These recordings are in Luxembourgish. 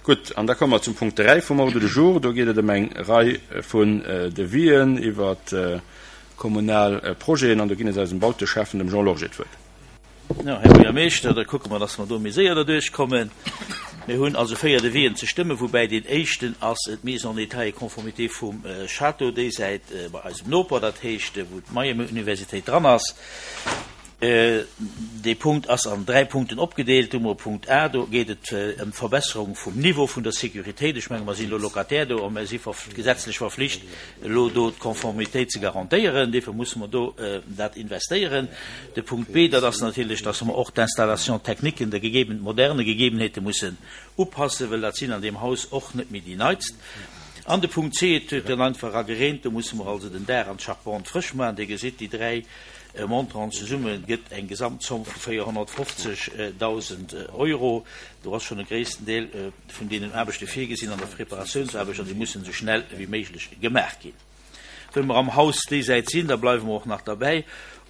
Gutt, an da komme mer zum Punkt 3 vum Ordre du jour. Do geet et ëm eng Rei vun Devisen iwwer kommunal Projeten an do ginn ech eisem Bauteschäffen, dem Jean Lorgé, d'Wuert. Jo, Här Buergermeeschter, da kucke mer, dass mer do méi séier derduerch kommen. Mir hunn also 4 Devisen ze stëmmen, woubäi deen éischten ass d'Mise en état et conformité vum Château déisäit bei eisem Noper, dat heescht wou d'Miami-Universitéit dran ass. Dee Punkt ass an 3 Punkten opgedeelt. Do hu mer Punkt A, do geet et ëm d'Verbesserung vum Niveau vun der Sécuritéit. Ech menge mer sinn elo Locataire do a mer si gesetzlech verflicht, elo do d'Conformitéit ze garantéieren. Duerfir musse mer do dat investéieren. De Punkt B, dat ass natierlech, dass mer och d'Installation techniquen de gegebenen, moderne Gegebenheete mussen upassen, well dat sinn an deem Haus och net méi déi neitst. An de Punkt C, et huet dann einfach era gereent, do musse mer also den Daach an d'Charpente frësch maachen. Dir gesitt, déi 3 Montanten zesumme gëtt eng Gesamtzomm vu 450.000 Euro. Do ass schonn e gréissten Deel vun deenen Aarbechte virgesinn an der Preparatiounsaarbecht an déi mussen esou schnell ewéi méiglech gemaach ginn. Wëll mer am Haus déisäit sinn, da bleiwe mer och nach derbäi,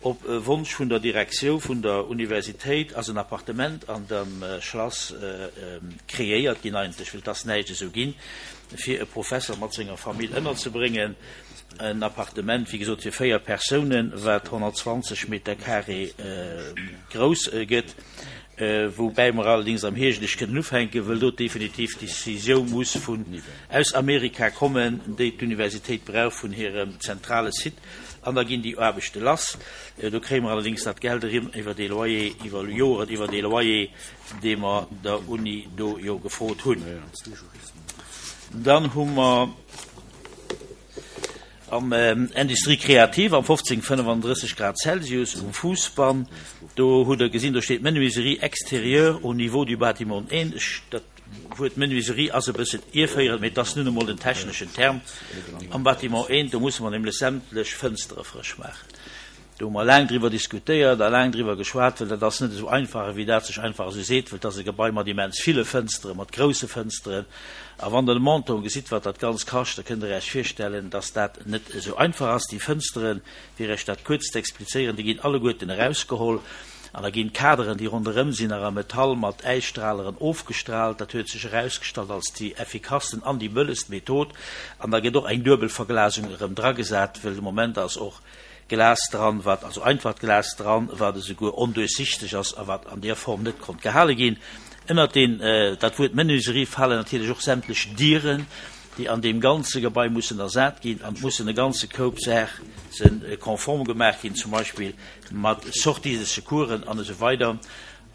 Op Wonsch vun der Direktioun vun der Universitéit ass en Appartement an dem Schlass kreéiert ginn, eigentlech wëll et ass näischt esou ginn, fir e Professer mat senger Famill ënnerzebréngen. En Appartement, wéi gesot, fir 4 Persounen, wat 120 Meter carré grouss gëtt, woubäi mer allerdings am Hierscht eréischt kënnen ufänken, wëll do definitiv d'Decisioun muss vun aus Amerika kommen, déi d'Universitéit brauch vun hirem zentrale Site, an da ginn déi Aarbechte lass. Do kréie mer allerdings dat Geld erëm iwwer dee Loyer, iwwer Joren, iwwer dee Loyer, dee mer der Uni do jo gefrot hunn. Dann hu mer. Am Industrie Créative am 1535 Grad Celsius um Fuussbann, do hutt Der gesinn, do steet Menuiserie extérieure au niveau du bâtiment 1. Ech, dat Wuert Menuiserie ass e bëssen ierféierend, mee et ass nun emol den techneschen Term. Am Bâtiment 1, do musse mer nämlech sämtlech Fënstere frësch maachen. Do hu mer laang driwwer diskutéiert a laang driwwer geschwat, well dat ass net esou einfach, ewéi dat sech einfach esou seet, well et ass e Gebai mat immens ville Fënsteren, mat grousse Fënsteren. A wann Der de Montant gesitt, wat dat Ganzt kascht, da kënnt Der Iech virstellen, dass dat net esou einfach ass. Déi Fënsteren, fir Iech dat kuerz ze explizéieren, déi ginn alleguerten erausgeholl an da ginn d'Kaderen, déi ronderëm sinn, nach a Metall mat Äisstraleren ofgestraalt. Dat huet sech erausgestallt als déi effikassten an déi bëllegst Method. An da gëtt och eng Duebelverglasung erëm dragesat, well de Moment ass och Glas dran, wat also einfacht Glas dran, wat esouguer onduerchsichteg ass a wat an där Form net konnt gehale ginn. Ënnert deen, dat Wuert Menuiserie falen natierlech och sämtlech Dieren, déi an deem ganze Gebai mussen ersat ginn an et mussen e ganze Koup Saache konform gemaach ginn, zum Beispill mat Sorties de secoursen an esou weider.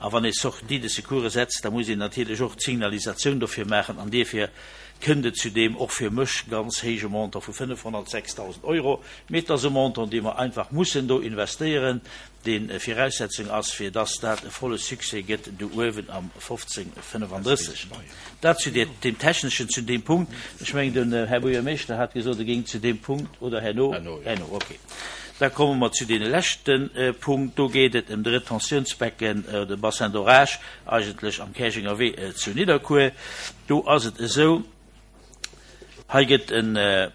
A wann ee Sortie de secours setzt, da muss een natierlech och d'Signalisatioun dofir maachen. An dierfir kënnt et zu deem och fir mech ganz héije Montant vu 506.000 Euro. Mee et ass e Montant, dee mer einfach mussen do investéieren, dee Viraussetzung ass, fir dass dat e volle Succès gëtt do uewen am 1535. Dat zu deem Techneschen, zu deem Punkt. Ech mengen, den Här Buergermeeschter hat gesot, e géing zu deem Punkt, oder herno? Herno, okay. Da komme mer zu deene leschte Punkt. Do geet et ëm de Retentiounsbecken, de Bassin d'orage eigentlech am Käerjenger Wee zu Nidderkuer. Do ass et esou, hei gëtt e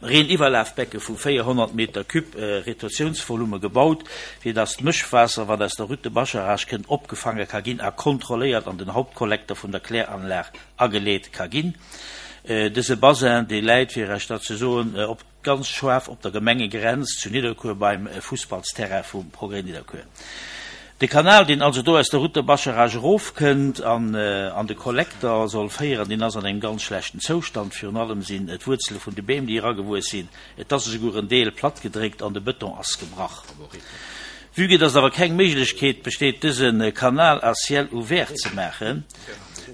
Reeniwwerlafbecke vu 400 Meter cube Retentiounsvolume gebaut, fir dass d'Mëschwaasser, wat aus der Route de Bascharage kënnt, opgefaange ka ginn a kontrolléiert an den Hauptkollekter vun der Kläranlag ageleet ka ginn. Dëse Bassin, dee läit, fir Iech dat ze soen, op. Ganz schaarf op der Gemengegrenz zu Nidderkuer beim Fussballsterrain vum Progrès Nidderkuer. De Kanal, deen also do aus der Route de Bascharage erofkënnt an an de Kollekter soll féieren, deen ass an engem ganz schlechten Zoustand. Virun allem sinn d'Wuerzele vun de Beem, déi eragewuess sinn, et ass esouguer en Deel plattgedréckt an de Bëton ass gebrach. Vue que dass awer keng Méiglechkeet besteet, dëse Kanal à ciel ouvert ze maachen,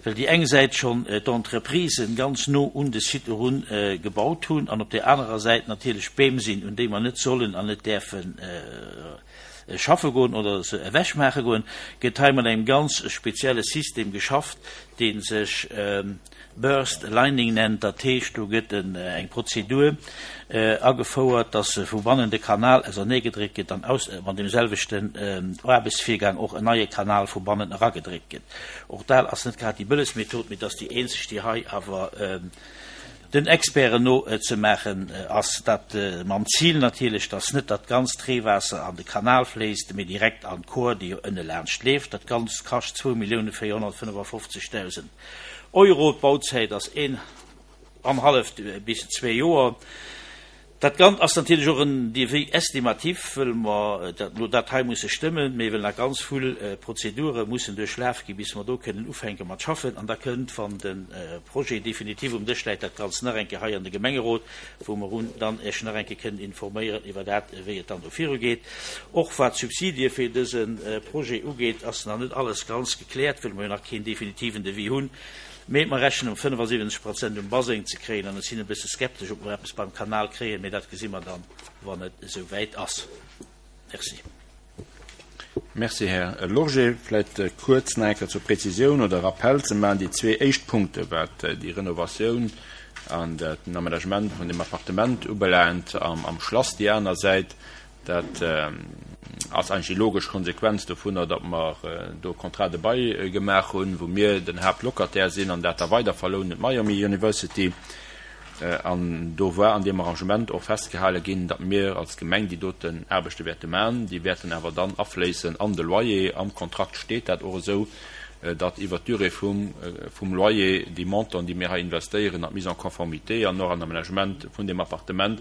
well déi eng Säit schonn d'Entreprisen ganz no un de Site erun gebaut hunn an op där anerer Säit natierlech Beem sinn, un déi mer net sollen an net däerfe schaffe goen oder se ewechmaache goen, gëtt hei mat engem ganz spezielle System geschafft, dee sech Burst Lining nennt. Dat heescht, do gëtt eng Prozedur agefouert, dass vu bannen de Kanal auserneegedréckt gëtt an mat deem selwechten Aarbechtsvirgang och en neie Kanal vu bannen eragedréckt gëtt. Och dat ass net grad déi bëllegst Method, mee et ass déi eenzeg, déi hei awer den Experten no ze maachen ass. Dat mam Zil natierlech, dass net dat ganzt Reewaasser an de Kanal fléisst, mee direkt an d'Kor, déi jo ënne laanscht leeft. Dat Ganzt kascht 2.455.000. Euro. D'Bauzäit ass een an halleft bis zwee Joer. Dat Gant ass natierlech och en Devis estimatif, wëll mer dat elo dat hei musse stëmmen, mee wëll nach ganz vill Prozedure mussen duerchlaf gi bis mer do kënnen ufänke mat schaffen. An da kënnt, wann de Projet definitiv um Dësch läit, dat Ganzt nach eng Kéier hei an de Gemengerot, wou mer un dann Iech nach eng Kéier kënnen informéieren iwwer dat, wéi et dann do virugeet. Och wat d'Subsidie fir dëse Projet ugeet, ass nach net alles ganz gekläert, wëll mer jo nach keen definitiven Devis hunn. Mee mer rechnen um 75 Prozent um Baseng ze kréien an ech sinn e bësse skeptesch, ob mer eppes beim Kanal kréien, mee dat gesi mer dann, wann et esou wäit ass. Merci. Merci, Här Lorgé. Vläicht kuerz nach eng Kéier zur Präzisioun oder Rappell ze maachen, déi zwee éischt Punkte wat déi Renovatioun an den Aménagement vun deem Appartement ubelaangt am Schlass, déi aner Säit, Dat ass eigentlech déi logesch Konsequenz dovunner, datt mer do e Contrat de bail gemaach hunn, wou mir den Haaptlocataire sinn an dat da weiderverlounen un d'Miami University. An do war an deem Arrangement och festgehale ginn, datt mir als Gemeng déi doten Aarbechte wäerte maachen. Déi wäerten awer dann afléissen an de Loyer. Am Kontrakt steet dat och esou, datt iwwert d'Durée vum Loyer déi Montanten, déi mir hei investéieren an d'Mise en conformité an och an Aménagement vun deem Appartement,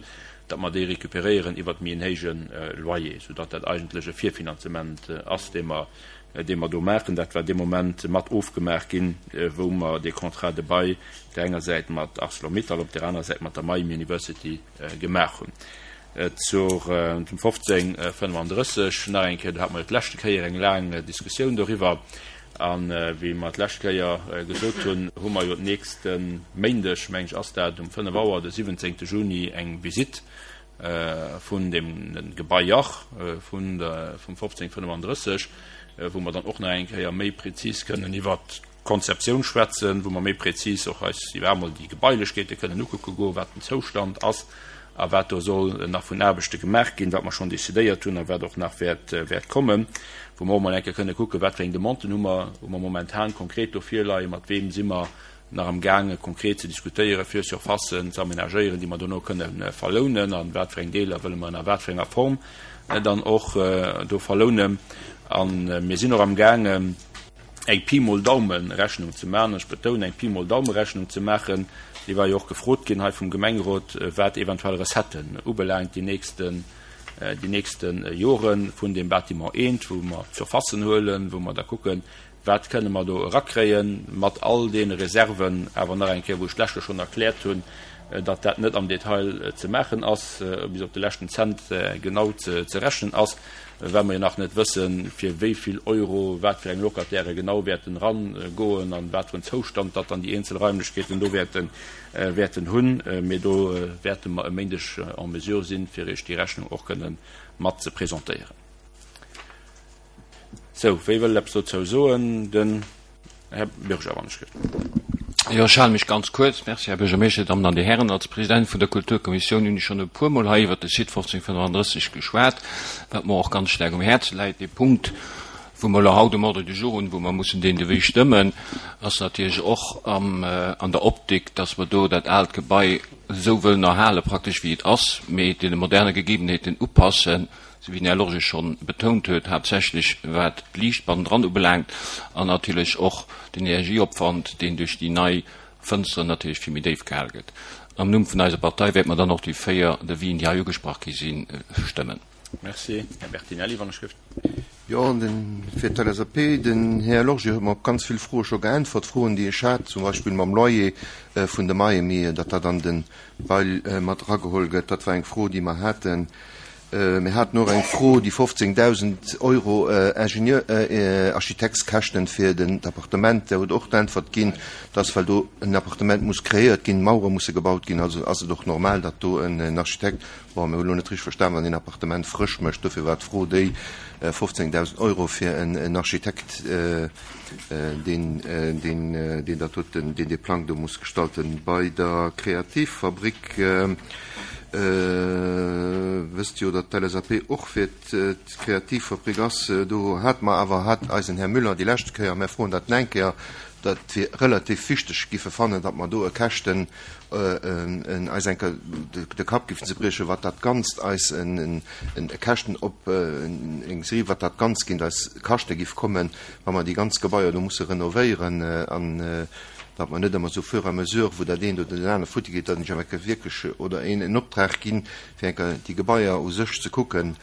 datt mer déi récupéréieren iwwert méi en héije Loyer, soudatt dat eigentlech e Virfinanzement ass, dee mer, dee mer do maachen. Dat war dee Moment mat ofgemaach ginn, wou mer dee Contrat de bail op där enger Säit mat Arcelor-Mittal, op där anerer Säit mat der Miami University gemaach hunn. Zur, zum 1535 nach eng Kéier, do hate mer jo d'leschte Kéier eng laang Diskussioun doriwwer. A wéi mer d'lescht Kéier gesot hunn, hu mer jo d'nächste Méindeg, meng ech ass dat, um 5 Auer de 17 Juni eng Visitt vun deem Gebai Jach vun der, vum 1535, wou mer dann och nach eng Kéier méi prezis kënnen iwwert d'Konzeptioun schwätzen, wou mer méi prezis och eis iwwer emol déi Gebailechkeete kënnen ukucke goen, wat den Zoustand ass a wat do soll nach vun Aarbechte gemaach ginn, wat mer schonn decidéiert hunn a wat och nach wäert kommen, wou mer och emol eng Kéier kënne kucken, wat fir eng Demanden hu mer, hu mer momentan konkret do virleien, mat weem si mer nach am gaange konkret ze diskutéieren, fir Surfacen ze amenagéieren, déi mer dono kënne verlounen, a wat fir eng Deeler wëlle mer an a wat fir enger Form dann och do verlounen. A mir sinn och am gaangen, eng Pi mol Daume-Rechnung ze maachen, ech betounen, eng Pi mol Daume-Rechnung ze maachen, déi war jo och gefrot ginn hei vum Gemengerot, wat eventuell Recetten ubelaangt déi nächsten, déi nächste Jore vun deem Bâtiment eent, wou mer d'Surfacen huelen, wou mer da kucken, wat kënne mer do erakréien, mat all deene Reserven awer nach eng Kéier, wou ech d'lescht Joer schonn erkläert hunn, datt dat net am Detail ze maachen ass, bis op de leschten Cent genau ze rechnen ass. Well mer jo nach net wëssen, fir wéi vill Euro wat fir eng Locataire genau wäerten erangoen an wat fir en Zoustand datt dann déi eenzel Raimlechkeeten do wäerten, wäerten hunn. Mee do wäerte mer e Méindeg en mesure sinn, fir Iech déi Rechnung och kënnen mat ze presentéieren. Sou, wie wëll eppes dozou soen? Den. Här Bürger, wann ech gëtt. Jo, ech hale mech ganz kuerz. Merci, Här Buergermeeschter, Dir Dammen an Dir Hären. Als President vun der Kulturkommissioun hunn ech schonn e puermol hei iwwert de Site 1535 geschwat, wat mer och ganz staark um Häerz läit. Dee Punkt, wou mer elo haut um Ordre du jour hunn, wou mer mussen deen Devis stëmmen, ass natierlech och an der Optik, dass mer do dat aalt Gebai esou wëllen erhale praktesch wéi et ass, mee deene moderne Gegebenheeten upassen, sou wéi den Här Lorge schonn betount huet, haaptsächlech wat d'Liicht bannendran ubelaangt an natierlech och den Energieopwand, deen duerch déi nei Fënsteren natierlech vill méi déif gehal gëtt. Am Numm vun eiser Partei wäerte mer dann och déi 4 Devisen, déi hei ugesprach gi sinn, stëmmen. Merci. Här Bertinelli, wann ech gëft. Jo, den, fir d'LSAP, den Här Lorge huet mer op ganz vill Froe scho geäntwert, Froen, déi ech hat, zum Beispill mam Loyer vun de Miami, datt dat an de Bail mat erageholl gëtt. Dat war eng Fro, déi mer haten. Mir haten och eng Fro, déi 15.000 Euro Ingenieur, Architektkäschten fir den d'Appartement, där huet och d'Äntwert ginn, dass, well do en Appartement muss kreéiert ginn, Mauere musse gebaut ginn, also ass et och normal, datt do en Architekt, bon, mir hu lo net richteg verstan, wann een Appartement frësch mécht, dofir war d'Fro déi 15.000 Euro fir en Architekt, deen deen dat doten, deen dee Plang do muss gestalten. Bei der Kreativfabrik wësst jo, datt d'LSAP och fir d'Kreativfabrik ass. Do hate mer awer, hat eisen Här Müller déi lescht Kéier, mä froen dat nach eng Kéier, dat fir relativ wichteg giffe fannen, datt mer do e Käschten eis eng Kéier de Kapp giffen zebriechen, wat dat Ganzt eis e Käschten op eng Serie, wat dat Ganzt géint eis kaschte giff kommen, wa mer déi ganz Gebaier do musse renovéieren. An. datt mer net ëmmer esou fur et à mesure, wou dat eent oder dat anert futti geet, datt een sech awer eng Kéier wierklech oder een en Optrag ginn, fir eng Kéier déi Gebaier u sech ze kucken,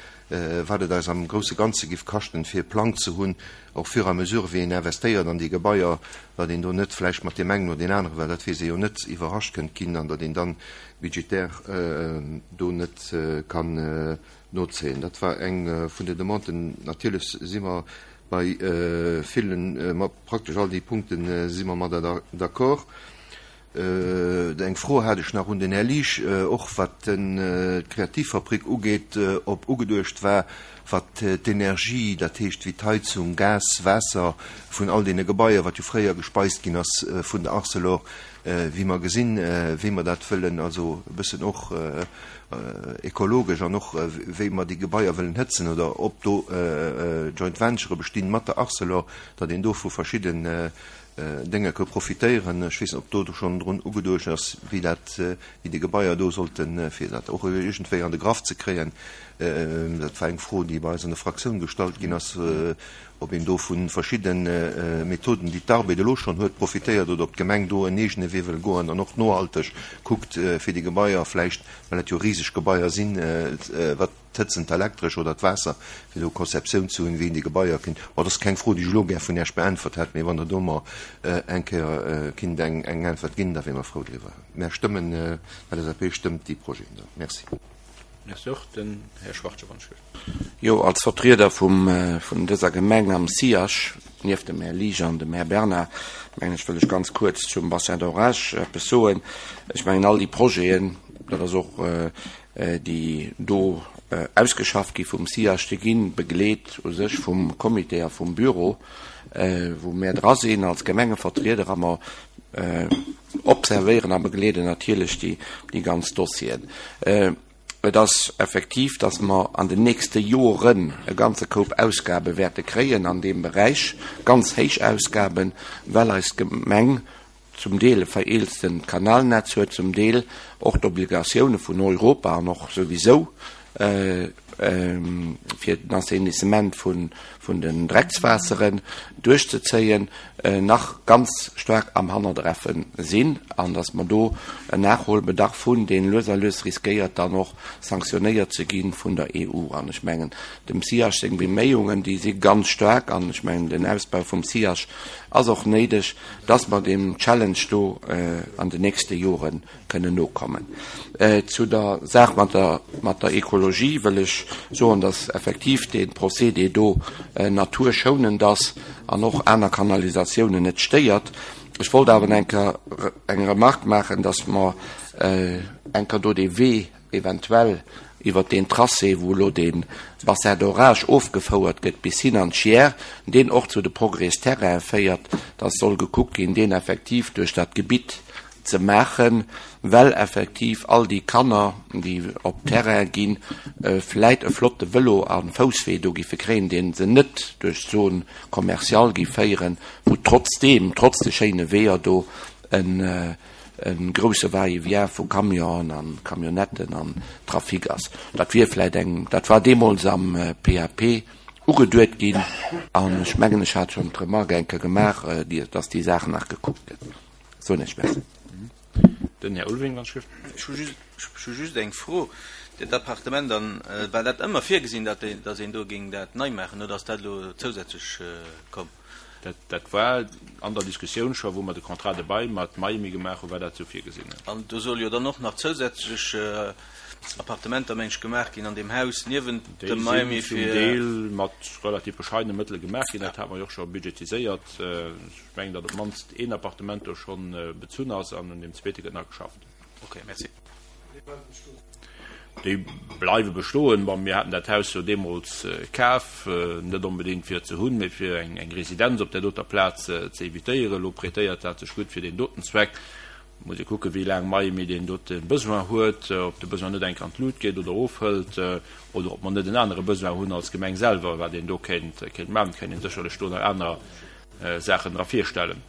wat et eis am grousse Ganze giff kaschten, fir e Plang ze hunn, och fur et à mesure wéi een investéiert an déi Gebaier, datt een do net vläicht mat deem engen oder deen aneren, well dat weess ee jo net, iwwerrascht kënnt ginn an datt een dann budgetär do net kann nozéien. Dat war eng vun den Demanden. Natierlech si mer bei villen, mat praktesch all déi Punkte si mer mat d'accord. Eng Fro hat ech nach un den Här Liesch, och wat d'Kreativfabrik ugeet, ob ugeduecht war, wat d'Energie, dat heescht wéi d'Heizung, Gas, Waasser vun all deene Gebaier, wat jo fréier gespeist ginn ass vun der Arcelor, wéi mer gesinn, wéi mer dat wëllen, also e bëssen och ekologesch an och wéi mer déi Gebaier wëllen hëtzen oder ob do Joint Venturë bestinn mat der Arcelor, datt een do vu verschidden Dénge ke profitéieren. Ech weess net, ob do schonn drun ugeduecht ass, wéi dat, wéi déi Gebaier do sollten, fir dat och iergendwéi an de Graff ze kréien. Dat war eng Fro, déi bei eis an der Fraktioun gestallt ginn ass, ob een do vu verschidde Methoden, déi d'Arbed elo schonn huet, profitéiert oder ob d'Gemeng do en eegene Wee wëll goen an och nohalteg kuckt, fir déi Gebaier vläicht, well dat jo riseg Gebaier sinn, wat, d'Hëtzen, d'Elektresch oder d'Waasser, fir do Konzeptioun ze hunn, wéi een déi Gebaier kéint. Bon, dat ass keng Fro, déi ech elo gär vun Iech beäntwert hätt, mee wann Der do mer eng Kéier kinnt eng Äntwert ginn, da wier mer frou driwwer. Mär stëmmen, d'LSAP stëmmt déi Projeten da. Merci. Merci och. Den Här Schwachtgen, wann ech gelift. Jo, als Vertrieder vum, vun dëser Gemeng am SIAJ, nieft dem Här Liesch an dem Här Bernard, mengen ech, wëll ech ganz kuerz zum Bassin d'orage eppes soen. Ech mengen, all déi Projeten, dat ass och déi do ausgeschafft gi vum SIAJ, déi gi begleet u sech vum Comité a vum Büro, wou mär dra sinn als Gemengevertrieder a mer observéieren a begleeden natierlech déi ganz Dossieren. Et ass effektiv, datt mer an den nächste Joren e ganze Koup Ausgabe wäerte kréien an deem Beräich, ganz héich Ausgaben, well eis Gemeng zum Deel e vereelztent Kanalnetz huet, zum Deel och d'Obligatioune vun Europa an och souwisou fir den Assainissement vun den Dreckswaasseren duerchzezéien, nach ganz staark am Hannerdreffe sinn an datt mer do en Nachholbedarf hunn, deen lues a lues riskéiert dann och sanktionéiert ze gi vun der EU. An ech mengen, dem SIAJ seng Beméiungen, déi si ganz staark an ech mengen, den Ausbau vum SIAJ ass och néideg, dass mer deem Challenge do an den nächste Jore kënnen nokommen. Zu der Saach mat der, mat der Ekologie wëll ech soen, dass effektiv dee Procédé do naturschounend ass an och aner Kanalisatiounen net stéiert. Ech wollt awer eng Kéier eng Remarque maachen, dass mer eng Kéier do dee Wee eventuell iwwert deen Tracé, wou elo dee Bassin d'orage ofgefouert gëtt bis hin an d'Chiers, deen och zu de Progrès-Terrainen féiert, dass soll gekuckt ginn, deen effektiv duerch dat Gebitt ze maachen, well effektiv all déi Kanner, déi op d'Terraine ginn, vläit e flotte Vëlo a Fousswee do giffe kréien, dee se net duerch d'Zone commerciale giff féieren, wou trotzdeem, trotz de schéine Weeër do, en e grousse Va-et-vient vu Camionen an Camionnetten an Trafic ass. Dat wier vläit eng, dat war deemools am PAP ugeduet ginn an ech mengen, ech hat schonn d'Remarque eng Kéier gemaach, dass déi Saach nach gekuckt gëtt. Soen ech Merci. Den Här Ulveling, wann ech gelift. Ech hu just eng Fro. Dat Appartement dann, war dat ëmmer virgesinn, datt een do géing dat nei maachen oder ass dat elo zousätzlech komm? Dat war an der Diskussioun scho, wou mer de Contrat de bail mat Miami gemaach hunn, war dat esou virgesinn. An do solle jo dann och nach zousätzlech Appartementer, meng ech, gemaach ginn an deem Haus niewent dem Miami fir. Déi sinn zum Deel mat relativ bescheidene Mëttele gemaach ginn. Dat hate mer jo och scho budgetiséiert. Ech mengen, datt op d'mannst een Appartement do scho bezunn ass an un deem zweete gëtt nach geschafft. Okay, merci. Déi bleiwe bestoen. Bon, mir haten dat Haus jo deemools kaf, net onbedéngt fir et ze hunn, mee fir eng Residenz op där doter Plaz ze evitéieren. Elo prêtéiert dat sech gutt fir deen doten Zweck. Muss ee kucken, wéi laang Miami deen dote Besoin huet, ob de Besoin net enk an d'Lut geet oder ofhëlt, oder ob mer net en anere Besoin hunn als Gemeng selwer, wat een do kéint maachen. Et kéint een sécherlech do nach aner Saachen dra virstellen.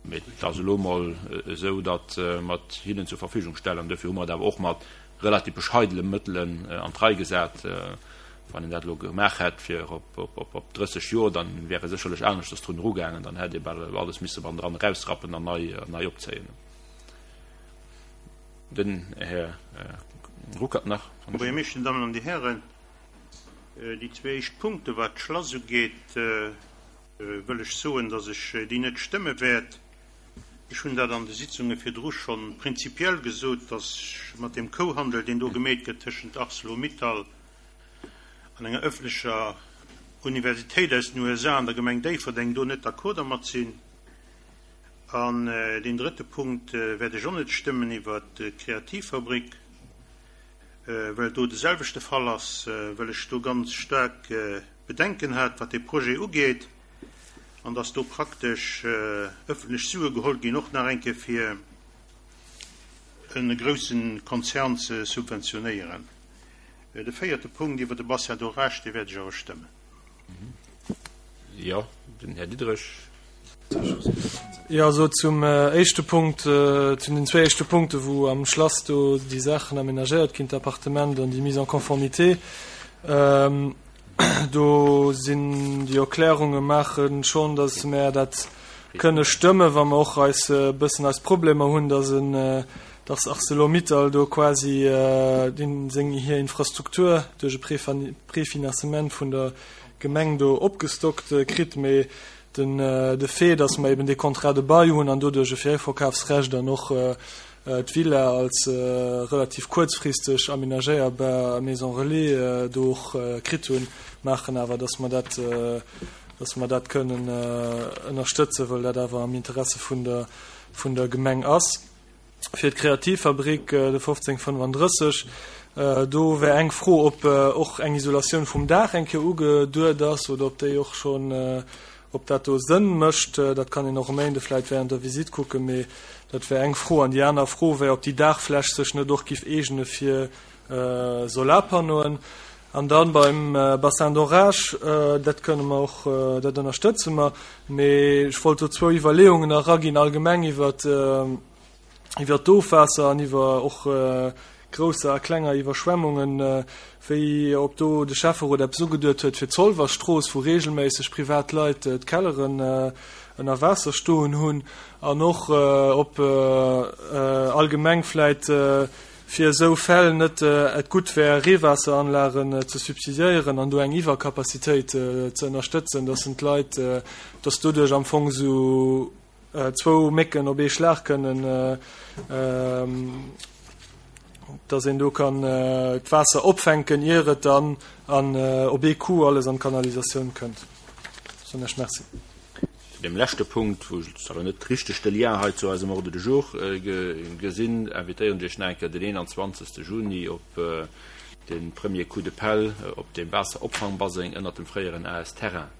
Mee et ass elo emol esou, datt mer et hinnen zur Verfügung stellen. An duerfir hu mer et awer och mat relativ bescheidene Mëttelen an d'Rei gesat. Wann een dat elo gemaach hätt fir op 30 Joer, dann wär ee sécherlech aneschters drun erugaangen. Dann hätt ee bal alles misse bannendran erausrappen an nei opzéien. Den Här Ruckert nach. Här Buergermeeschter, Dir Dammen an Dir Hären, déi zwee éischt Punkte wat d'Schlass ugeet, wëll ech soen, datt ech déi net stëmme wäert. Ech hunn dat an de Sitzunge virdru scho prinzipiell gesot, datt ech mat deem Kouhandel, deen do gemeet gëtt tëschent Arcelor-Mittal an enger ëffentlecher Universitéit aus den USA an der Gemeng Déifferdeng, do net d'accord dermat sinn. An deen drëtte Punkt wäert ech och net stëmmen iwwert d'Kreativfabrik, well do de selwechte Fall ass, well ech do ganz staark Bedenken hat, wat dee Projet ugeet, an dass do praktesch ëffentlech Sue geholl ginn, och nach eng Kéier fir e grousse Konzern ze subventionéieren. De véierte Punkt iwwer de Bassin d'orage, dee wäert ech awer stëmmen. Jo, den Här Diderich. Jo, also zum éischte Punkt, zu den zwéi éischte Punkte wou am Schlass do déi Saachen aménagéiert ginn, d'Appartement an déi Mise en conformité, do sinn déi Erklärunge maache schonn, datt mär dat kënne stëmme wa mer och eis e bëssen eis Problemer hunn, datt en, datt Arcelor-Mittal do quasi seng hir Infrastruktur duerch e Préfinanzement vun der Gemeng do opgestockt kritt. Mee Den de Fait, dass mer eben dee Contrat de bail hunn an doduerch e Virverkafsrecht an och d'Villa als relativ kuerzfristeg aménagéierbar Maison relais do och kritt hunn, maachen awer, dass mer dat, dass mer dat kënnen ënnerstëtzen, well dat awer am Interesse vun der, vun der Gemeng ass. Fir d'Kreativfabrik, de 1535, do wär eng Fro, ob och eng Isolatioun vum Daach eng Kéier ugeduet ass oder ob déi och schonn, ob dat do Sënn mécht. Dat kann een och e Méinde vläicht während der Visitt kucken, mee dat wär eng Fro. An déi aner Fro wär, ob déi Daachfläch sech net och giff eegene fir Solarpannoen. An dann beim Bassin d'orage, dat kënne mer och, dat ënnerstëtze mer. Mee ech wollt do zwou Iwwerleeungen eraginn, allgemeng iwwer iwwer d'Ofwaasser an iwwer och grousser a klenger Iwwerschwemmungen, wéi ob do de Schäfferot eppes ugeduet huet fir d'Zolwerstrooss, wou regelméisseg privat Leit d'Kelleren ënner Waasser stoen hunn, an och ob allgemeng vläit fir esou Fäll net et gutt wär, Reewaasseranlagen ze subsidiéieren an do eng Iwwercapacitéit ze ënnerstëtzen, dass en d'Leit, dass doduerch am Fong esou zwou Mécken op ee Schlag kënnen, dass een do kann d'Waasser opfänken, ier et dann an op ee Coup alles an d'Kanalisatioun kënnt. Soen ech Merci. Zu deem leschte Punkt, wou ech awer net richteg de Lien hei zu eisem Ordre du jour gesinn, invitéieren ech Iech nach eng Kéier den 21. Juni op de premier Coup de pelle op deem Waasseropfangbaseng ënnert dem fréieren AS Terrain.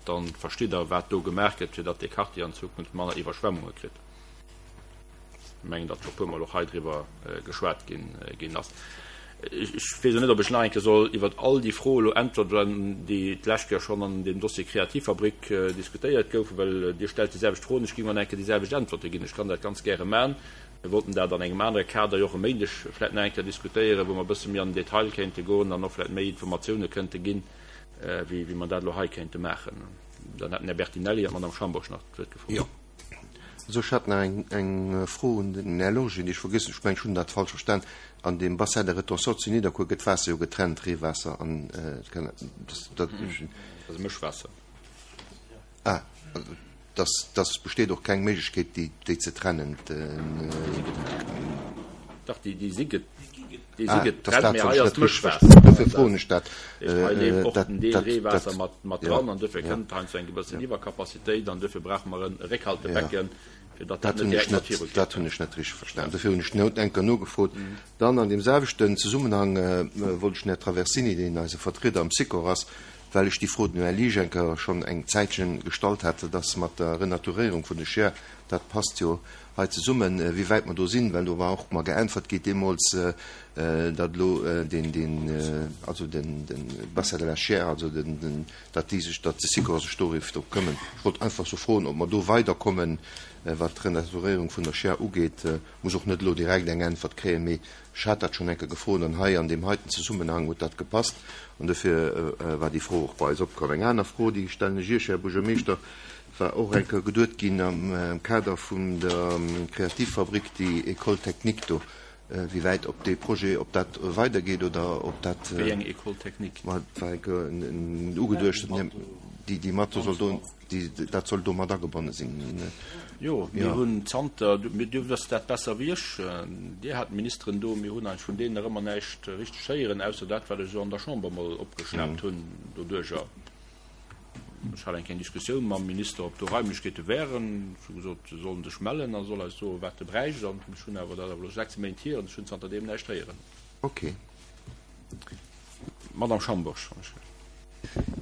Dann verstitt Der, wat do gemaach gëtt, fir datt dee Quartier an Zukunft manner Iwwerschwemmunge kritt. Mengen, datt scho puermol och hei driwwer geschwat ginn ass. Ech weess och net, ob ech nach eng Kéier soll iwwer all déi Froe elo äntweren, déi d'lescht Kéier schonn an deem Dossier Kreativfabrik diskutéiert goufen, well Dir stellt déi selwecht Froen, ech géing och nach eng Kéier déi selwecht Äntwerte ginn. Ech kann dat ganz gäre maachen. Mir wollten dat an engem anere Kader jo och e Méindeg vläicht nach eng Kéier diskutéieren, wou mer e bësse méi an den Detail kéinte goen an och vläicht méi Informatioune kënnte ginn, wéi mer dat elo hei kéinte maachen. Dann hätten den Här Bertinelli an d'Madame Schambourg nach d'Wuert gefrot. Also ech hat nach eng Fro un den Här Lorgen, déi ech vergiess hunn. Ech mengen, ech hunn dat falsch verstan. An deem Bassin de rétention zu Nidderkuer gëtt d'Waasser jo getrennt, Reewaasser an dat. Dat ass e Mëschwaasser. Ah, dass, dass besteet och keng Méiglechkeet, déi, déi ze trennen. Dach, déi, déi si get. Déi si getrennt, mee hei ass d'Mëschwaasser. Dofir froen ech dat. Hei leeft och en Deel Reewaasser mat dran an dofir kënnt heiansdo eng gewëssen Iwwercapacitéit an dofir brauche mer e Réckhaltebecken, fir datt dat net direkt mat viru geet. Dat hunn ech net richteg verstan. Dofir hunn ech haut eng Kéier nogefrot. Dann an deem selwechten Zesummenhang wollt ech den Här Traversini, deen eise Vertrieder am Sikor ass, well ech déi Fro dem Här Liesch eng Kéier schonn eng Zäitchen gestallt hat, dass mat der Renaturéierung vun de Scheer, dat passt jo. hei zesummen, wéi wäit mer do sinn, well do war och mer geäntwert gi deemools, datt elo deen, deen, also den, den Bassin de la Chiers, also den, den, datt déi sech, datt de Sikor sech doriwwer drop këmmen. Ech wollt einfach sou froen, ob mer do weiderkommen, wat d'Renaturéierung vun der Chiers ugeet. Muss och net elo direkt eng Äntwert kréien, mee ech hat dat schonn eng Kéier gefrot an hei an deem heiten Zesummenhang huet dat gepasst an dofir war déi Fro och bei eis opkomm. Eng aner Fro, déi stellen ech Iech, Här Buergermeeschter, war och eng Kéier geduet ginn am Kader vun der Kreativfabrik, déi École technique do, wéi wäit ob dee Projet, ob dat weidergeet oder ob dat. Wéi eng École technique? Ma et war eng Kéier ugeduecht, déi déi mat do soll do. Déi, dat soll do mat agebonne sinn. Jo, mir hunn zanter, Dir wësst dat besser wéi ech, Dir hat d'Ministeren do, mir hunn eigentlech vun deenen nach ëmmer näischt richteg héieren, ausser dat, wat ech esou an der Chamber emol opgeschnaapt hunn doduerjer. Ech hat eng kleng Diskussioun mam Minister, ob do Raimlechkeete wären. Ech hu gesot, se sollen sech mellen a soll eis soen, wat e bräicht. An ech hunn awer, dat ass awer elo 6 Méint hier, an ech hunn zanterdeem näischt héieren. Okay. Madame Schambourg.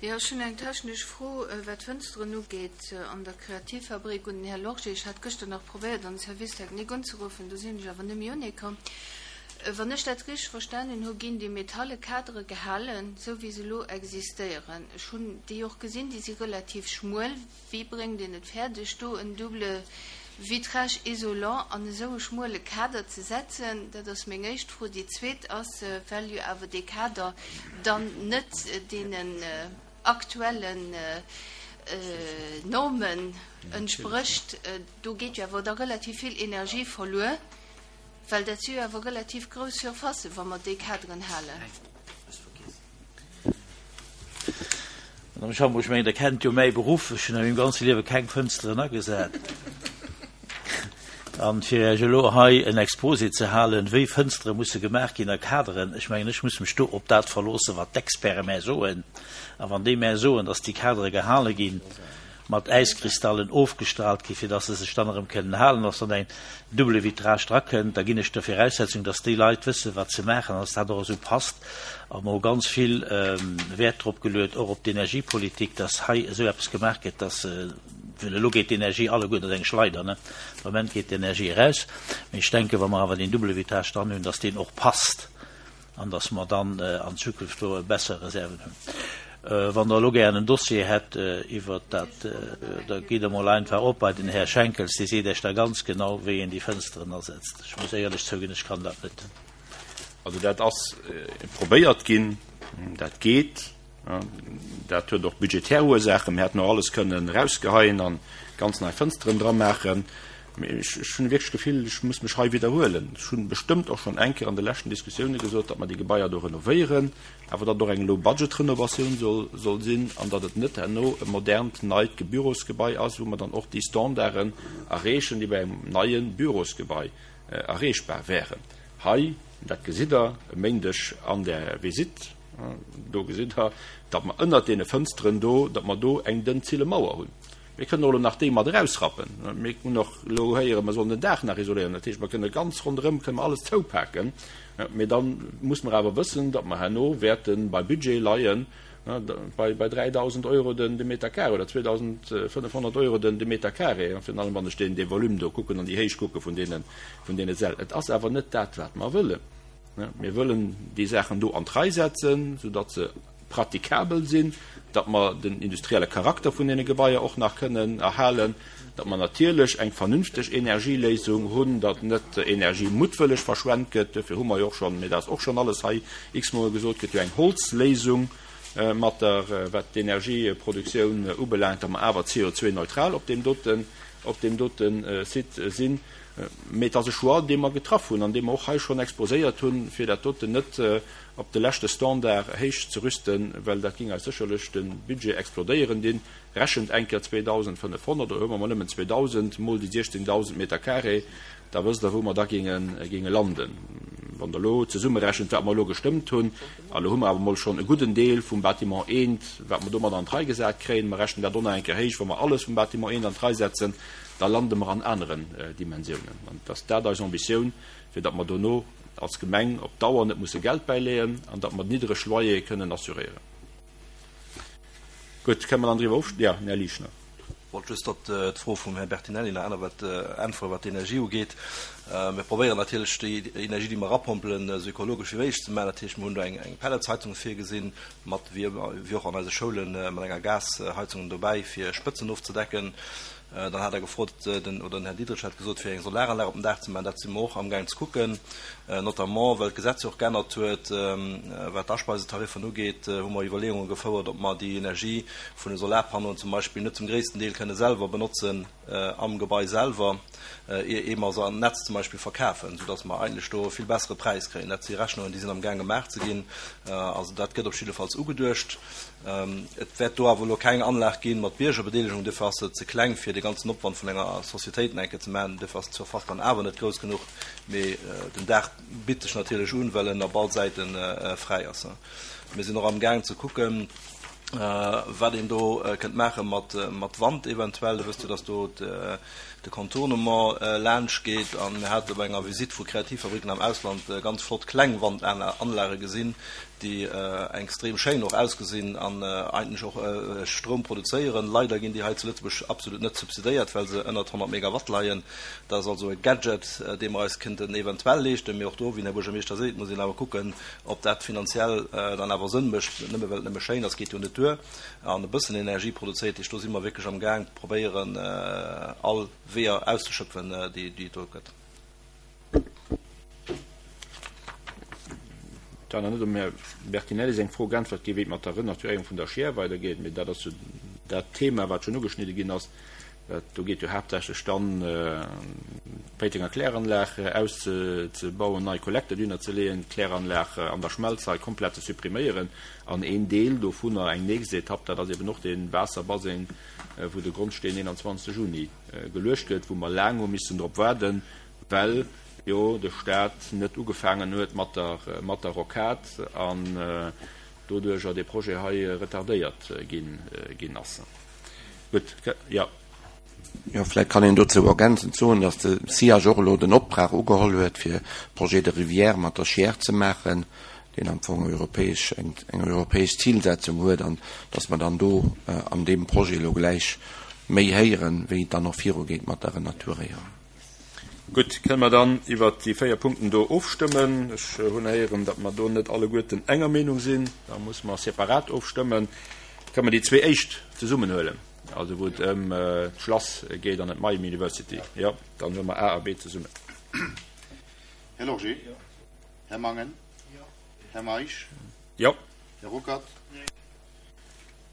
Jo, ech hunn eng technesch Fro, wat d'Fënsteren ugeet an der Kreativfabrik un den Här Lorgé. Ech hat gëschter nach probéiert, an de Service technique unzeruffen, do sinn ech awer net méi unekomm. Wann ech dat richteg verstanen hu, ginn déi metalle Kadere gehalen, esou wéi se elo existéieren. Ech hunn déi och gesinn, déi si relativ schmuel. Wéi bréngt een et fäerdeg, do en double vitrage isolant an esou e schmuele Kader ze setzen? Dat ass meng éischt Fro. Déi zweet ass, well jo awer dee Kader dann net deenen aktuellen Normen entsprécht, do geet jo awer da relativ vill Energie verluer, well dat si jo awer relativ grouss Surfacen, wa mer déi Kaderen halen. Madame Schambourg, ech mengen, Der kennt jo mäi Beruff. Ech hunn a mengem ganze Liewe keng Fënsteren agesat. An fir Iech elo hei en Exposé ze halen, wéi Fënstere musse gemaach ginn a Kaderen, ech mengen, ech muss mech do op dat verloossen, wat d'Experte mär soen. A wann déi mär soen, dass déi Kadere gehale ginn, mat Äiskristallen ofgestrahlt ginn, fir dass se sech dann erëm kënnen halen, dass dann eng double Vitrage drakënnt, da ginn ech der Viraussetzung, dass déi Leit wëssen, wat se maachen an dass dat och esou passt. A mer hu ganz vill Wäert drop geluet, och op d'Energiepolitik, dass hei esou eppes gemaach gëtt, dass, well elo geet d'Energie alleguer, dat ass eng Schleider, ne, de Moment geet d'Energie eraus, mee ech denken, wa mer awer deen double Vitrage dran hunn, dass deen och passt. an dass mer dann an Zukunft do besser Reserven hunn. Wann Der elo gären en Dossier hätt iwwert dat, da gitt Der mol einfach op bei den Här Schenkels, dee seet Iech da ganz genau, wéi een déi Fënsteren asetzt. Ech muss éierlech zouginn, ech kann dat net. Also dat ass probéiert ginn, dat geet. Dat huet och budgetär Ursaachen. Mir hätten och alles kënnen erausgeheien a ganz nei Fënsteren dra maachen. Mee ech hunn wierklech d'Gefill, ech muss mech hei widderhuelen. Ech hu bestëmmt och schonn eng Kéier an de leschten Diskussioune gesot, datt mer déi Gebaier do renovéieren, awer datt et och eng Low-Budget-Renovatioun soll sinn an datt et net herno e modernt, neit Bürosgebai ass, wou mer dann och déi Standarden erreechen, déi bei engem neie Bürosgebai erreechbar wären. Hei, dat gesitt Der e Méindeg an der Visitt, Do gesitt Der, datt mer ënnert deene Fënsteren do, datt mer do eng dënn Zillemauer hunn. Mir kënnen och elo nach déi mat erausrappen. Mir hunn och elo héieren, mer sollen den Daach nach isoléieren. Dat heescht, mer kënne ganz ronderëm kënne mer alles zoupaken. Mee da muss mer awer wëssen, datt mer herno wäerte bei Budget leien, bei 3.000 Euro den de Meter carré oder 2.500 Euro den de Meter carré, virun allem wann ech deen dee Volume do kucken an déi Héicht kucke vun deene vun deene Säll. Et ass awer net dat, wat mer wëllen. Mir wëllen déi Saachen do an d'Rei setzen, soudatt se pratikabel sinn, datt mer den industrielle Charakter vun deene Gebaier och nach kënnen erhalen, datt mer natierlech eng vernünfteg Energieléisung hunn, datt net Energie muttwëlleg verschwent gëtt. Duerfir hu mer jo och schonn, mee dat ass och schonn alles hei x-mol gesot gëtt, jo eng Holzléisung mat der, wat d'Energieproduktioun ubelaangt, datt mer awer CO2-neutral op deem doten, op deem dote Site sinn. Mee et ass e Choix, dee mer getraff hunn an dee mer och hei schonn exposéiert hunn, fir dat doten net op de leschte Standard héich ze rüsten, well dat géing eis sécherlech de Budget explodéieren dinn. Rechent eng Kéier 2.500, oder huele mer mol nëmmen 2.000 mol déi 16.000 Meter carré, da wësst Der, wou mer da géinge landen. Wann Der elo zesummerechent, wat mer elo gestëmmt hunn, a elo hu mer awer mol schonn e gudden Deel vum Bâtiment eent, wat mer domat an d'Rei gesat kréien, mer rechnen dat och nach eng Kéier héich, wa mer alles vum Bâtiment eent an d'Rei setzen, da lande mer an aneren Dimensiounen. An et ass dat eis Ambitioun, fir datt mer dono als Gemeng op Dauer net musse Geld bäileeën an datt mer niddereg Loyere kënnen assuréieren. Gutt, kënne mer dann driwwer ofstëmmen? Jo, den Här Lischner. Wollt just op d'Fro vum Här Bertinelli nach anerwäert äntweren, wat d'Energie ugeet. Mir probéieren natierlech, déi Energie, déi mer erapompelen, esou ökologesch wéi méiglech ze maachen. Dat heescht, mir hunn do eng Pelletsheizung virgesinn, mat, wéi och an eise Schoulen, mat enger Gasheizung dobäi, fir Spëtzen ofzedecken. Dann hat Der gefrot, den, oder den Här Diderich hat gesot, fir eng Solaranlag op dem Daach ze maachen. Dat si mer och amgaang ze kucken, notamment well d'Gesetz jo och geännert huet, wat d'Aspeisetariffen ugeet, hu mer Iwwerleeunge gefouert, ob mer déi Energie vun de Solarpannoen zum Beispill net zum gréissten Deel kënne selwer benotzen am Gebai selwer, ier mer se an d'Netz zum Beispill verkafen, soudass mer eigentlech do e vill bessere Präis kréien. Dat si Rechnungen, déi sinn amgaang gemaach ze ginn. Also dat gëtt op jiddefalls ugeduecht. Et wäert do awer elo keng Anlag gi mat Biergerbedeelegung, duerfir ass se ze kleng, fir de ganzen Opwand vun enger Societéit eng Kéier ze maachen. Duerfir ass d'Surface dann awer net grouss genuch. Mee den Daach bitt sech natierlech un, well en op all Säite fräi ass. Mir sinn och amgaang ze kucken, wat een do kënnt maache mat Wand eventuell. Dir wësst jo, dass do de Contournement laanscht geet a mir hate bei enger Visitt vu Kreativfabriken am Ausland ganz flott kleng Wandanlage gesinn, déi extrem schéin och ausgesinn an eigentlech och Stroum produzéieren. Leider ginn déi hei zu Lëtzebuerg absolut net subsidéiert, well se ënnert 100 Megawatt leien. Dat ass also e Gadget, dee mer eis kënnten eventuell leeschten. Mee och do, wéi den Här Buergermeeschter seet, muss een awer kucken, ob dat finanziell dann awer Sënn mécht. Nëmme well et nëmme schéin ass, geet jo net duer an e bëssen Energie produzéiert. Heescht, do si mer wierklech amgaang, probéieren all Weeër auszeschöpfen, déi et do gëtt. Et war nach net um Här Bertinelli seng Fro geäntwert ginn, wéi et mat der Renaturéierung vun der Schier weidergeet, mee dat ass jo dat Thema, wat schonn ugeschnidde ginn ass. Do geet jo haaptsächlech dann d'Péitenger Kläranlag auszebauen, nei Kollekterdüner ze leeën, d'Kläranlag an der Schmelz hei komplett ze suppriméieren an een Deel dovunner, eng nächst Etapp, dat ass eben och dee Waasserbaseng, wou de Grondsteen 21 Juni geluecht gëtt, wou mer laang hu missen drop waarden, well jo de Stat net ugefaangen huet mat der mat der Rocade an doduerjer dee Projet hei retardéiert ginn ginn ass. Gutt, jo. Jo, vläicht kann een dozou ergänzend soen, datt de SIAJ och elo den Optrag ugeholl huet, fir Projet de rivière mat der Chiers ze maachen, deen am Fong europäesch, eng europäesch Zilsetzung huet, an datt mer dann do an deem Projet elo gläich méi héieren, wéi et dann och virugeet mat der Renaturéierung. Gutt, kënne mer dann iwwert déi 4 Punkten do ofstëmmen? Ech hunn héieren, datt mer do net alleguerten enger Meenung sinn. Da musse mer separat ofstëmmen. Kënne mer déi zwee éischt zesummen huelen, also wou et ëm d'Schlass geet an ëm d'Miami University? Jo, dann huele mer A a B zesummen. Här Lorgé? Här Mangen? Här Meisch? Jo. Här Ruckert?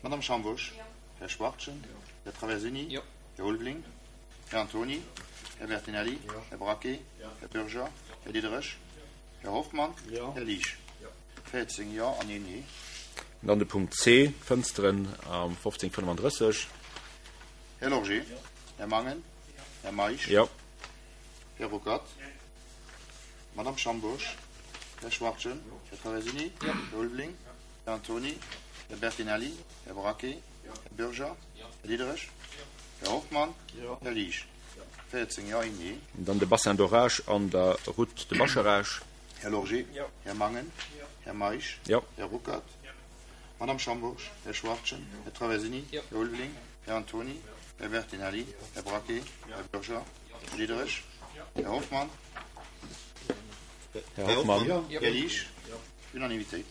Madame Schambusch? Här Schwachtgen? Här Traversini? Här Ulveling? Här Antony? Här Bertinelli? Här Braquet? Här Bürger? Här Diderich? Här Hoffmann? Här Liesch? 14 Jo an een Nee. An dann de Punkt C, d'Fënsteren am 1535. Här Lorgé? Här Mangen? Här Meisch? Jo. Här Ruckert? Madame Schambourg? Här Schwachtgen? Här Traversini? Här Ulveling? Här Antony? Här Bertinelli? Här Braquet? Här Bürger? Här Diderich? Här Hoffmann? Här Liesch? 14 Jo, een Nee. An dann de Bassin d'orage an der Route de Bascharage. Här Lorgé? Här Mangen? Här Meisch? Jo. Här Ruckert? Madame Schambourg? Här Schwachtgen? Här Traversini? Här Ulveling? Här Antony? Här Bertinelli? Här Braquet? Här Bürger? Här Diderich? Här Hoffmann? Här Hoffmann. Här Liesch? Unanimitéit.